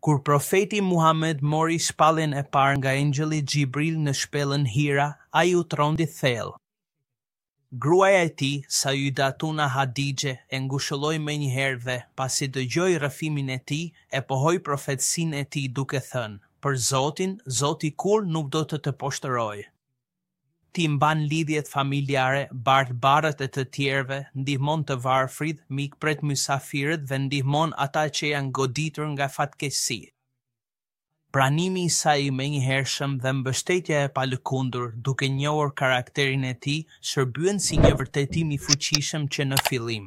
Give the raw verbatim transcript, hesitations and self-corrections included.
Kur profeti Muhamed mori shpalljen e parë nga engjëlli Xhibril në shpellën Hira, ai u trondit thellë. Gruaja e tij, Sayyidatuna Hadixhe, e ngushëlloi menjëherë dhe, pasi dëgjoi rrëfimin e tij, e pohoi profetësinë e tij duke thënë: "Për Zotin, Zoti kurrë nuk do të të poshtërojë. Ti mban lidhjet familjare, bart barrët e të tjerëve, ndihmon të varfrit, mikpret mysafirët dhe ndihmon ata që janë goditur nga fatkeqësi." Pranimi i saj i menjëhershëm dhe mbështetja e palëkundur, duke njohur karakterin e tij, shërbyen si një vërtetim i fuqishëm që në fillim.